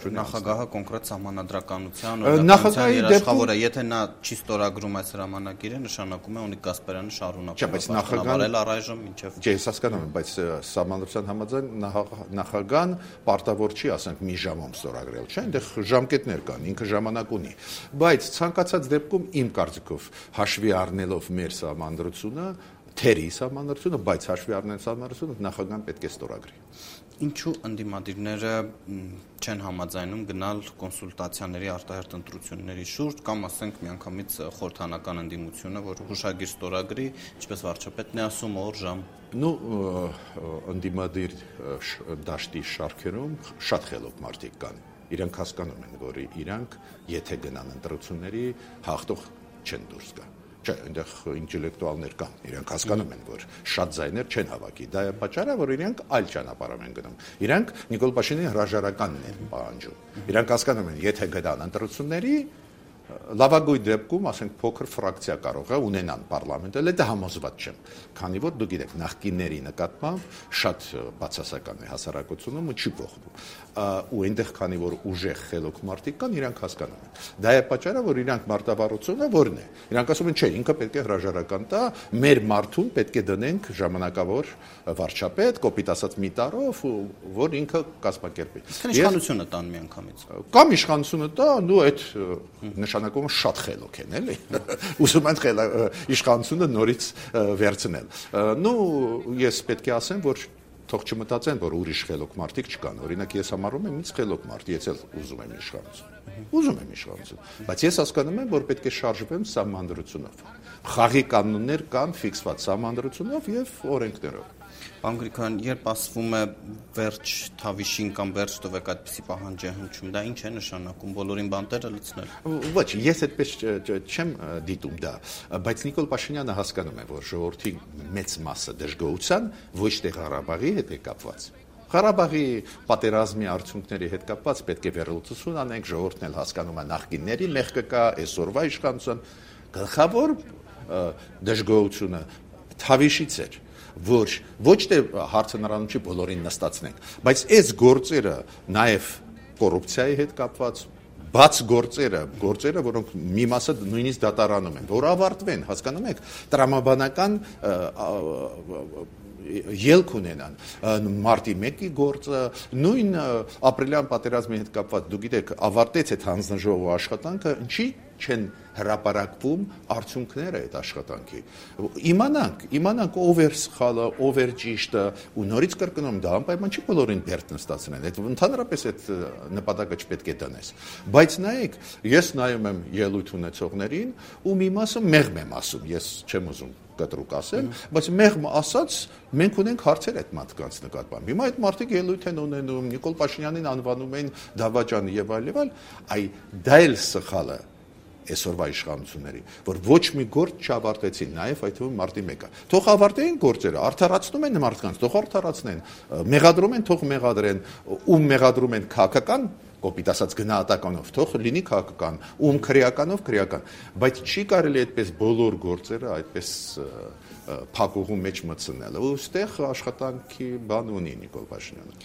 քննադատություն է նախագահը կոնկրետ սահմանադրականության օրենսդրության երաշխավոր է, եթե նա չի ստորագրում այս հրամանագիրը, նշանակում է ունի Կասպարյանը շարունակում ապրել առայժմ մինչև։ Չէ, ես հասկանում եմ, բայց սահմանադրության համաձայն նախագահան պարտավոր չի, ասենք, մի ժամում ստորագրել, չէ՞, այնտեղ ժամկետներ կան, ինքը ժամանակ ունի։ Բայց ցանկացած դեպքում իմ կարծիքով հաշվի առնելով մեր սահմանադրությունը, թերի սահմանադրությունը, բայց հաշվի առնելով սահմանադրությունը, նախագահան պետք է ստորագրի։ Ինչու ընդդիմադիրները չեն համաձայնում գնալ կոնսուլտացիաների արտահերթ ընտրությունների շուրջ կամ ասենք միանգամից խորհրդանական ընդդիմությունը, որ հուշագիր ստորագրի, ինչպես վարչապետն է ասում, օր ժամ։ Ընդդիմադիր դաշտի շարքերում շատ խելոք մարդիկ կան։ Իրանք հասկանում են, որ իրանք եթե գնան ընտրությունների հաղթող չեն դուրս գա։ Չէ, այնտեղ ինտելեկտուալներ կան, իրենք հասկանում են, որ շատ ձայներ չեն հավաքի։ Դա է պատճառը, որ իրենք այլ ճանապարհով են գնում։ Իրենք Նիկոլ Փաշինյանի հրաժարականն են պահանջում։ Իրենք հասկանում են, եթե գնան ընտրությունների, լավագույն դեպքում, ասենք, փոքր ֆրակցիա կարող է ունենան պարլամենտը, դա համոզված չեմ, քանի որ դուք գիտեք, նախկինների նկատմամբ շատ բացասական է հասարակությունում ու չի փոխվում։ Ու այնտեղ քանի որ ուժեղ խելոք մարդիկ կան, իրանք հասկանում են։ Դա է պատճառը, որ իրանք մարտավարությունը որն է։ Իրանք ասում են, չէ, ինքը պետք է հրաժարական տա, մեր մարդուն պետք է դնենք ժամանակավոր վարչապետ, կոպիտ ասած մի տարով, որ ինքը կազմակերպի։ Իշխանությունը տան միանգամից։ Կամ իշխանությունը տա, ու այդ նշանակումը շատ խելոք են, էլի։ Ուզում են իշխանությունը նորից վերցնել։ Ես պետք է ասեմ, որ թող չմտածեն, որ ուրիշ խելոք մարդիկ չկան։ Օրինակ ես համարում եմ ինձ խելոք մարդ, ես էլ ուզում եմ իշխանություն, բայց ես հասկանում եմ, որ պետք է շարժվեմ սահմանադրությունով։ Խաղի կանոններ կան ֆիքսված սահմանադրությունով եւ օրենքներով։ Պարոն Գրիգորյան, երբ ասվում է վերջ թավիշին կամ վերջ տվեք այդպիսի պահանջ է հնչում, դա ինչ է նշանակում, բոլորին բանտերը լցնել։ Ոչ, ես այդպես չեմ դիտում դա, բայց Նիկոլ Փաշինյանը հասկանում է, որ ժողովրդի մեծ մասը դժգոհության ոչ թե Ղարաբաղի հետ է կապված։ Ղարաբաղի պատերազմի արդյունքների հետ կապված պետք է վերլուծություն անենք, ժողովուրդն էլ հասկանում է նախկինների մեղքը կա, այսօրվա իշխանության գլխավոր դժգոհությունը թավիշից էր, որ ոչ թե հարցը նրանում չի բոլորին նստացնենք, բայց այս գործերը նաև կոռուպցիայի հետ կապված, բաց գործերը, որոնք մի մասը նույնիսկ դատարանում են, որ ավարտվեն, հասկանում եք, տրամաբանական ելք ունենան, մարտի 1-ի գործը, նույն ապրիլյան պատերազմի հետ կապված, դուք գիտեք, ավարտեց այդ հանձնաժողովի աշխատանքը, ինչի չեն հրապարակվում արդյունքները այդ աշխատանքի։ Իմանանք ով էր սխալը, ով էր ճիշտը, ու նորից կրկնում, դա անպայման չի բոլորին բերդ նստացնել, այդ ընդհանրապես այդ նպատակը չպետք է դնես։ Բայց նայեք, ես նայում եմ ելույթ ունեցողներին, ու մի մասը մեղմ եմ ասում, ես չեմ ուզում կտրուկ ասել, բայց մեղմ ասած մենք ունենք հարցեր այդ մարդկանց նկատմամբ։ Հիմա այդ մարդիկ ելույթ են ունենում, Նիկոլ Փաշինյանին անվանում են դավաճան եւ այլ, դա էլ սխալը այսօրվա իշխանությունների, որ ոչ մի գործ չավարտեցին, նաև այդ թվում մարտի 1-ը։ Թող ավարտեին գործերը, արդարացնում են մարդկանց, թող արդարացնեն, մեղադրում են, թող մեղադրեն, ում մեղադրում են քաղաքական, կոպիտ ասած գնահատականով, թող լինի քաղաքական, ում քրեականով քրեական, բայց չի կարելի այդպես բոլոր գործերը այդպես փակուղու մեջ մտցնել։ Ու այստեղ աշխատանքի բան ունի Նիկոլ Փաշինյանը։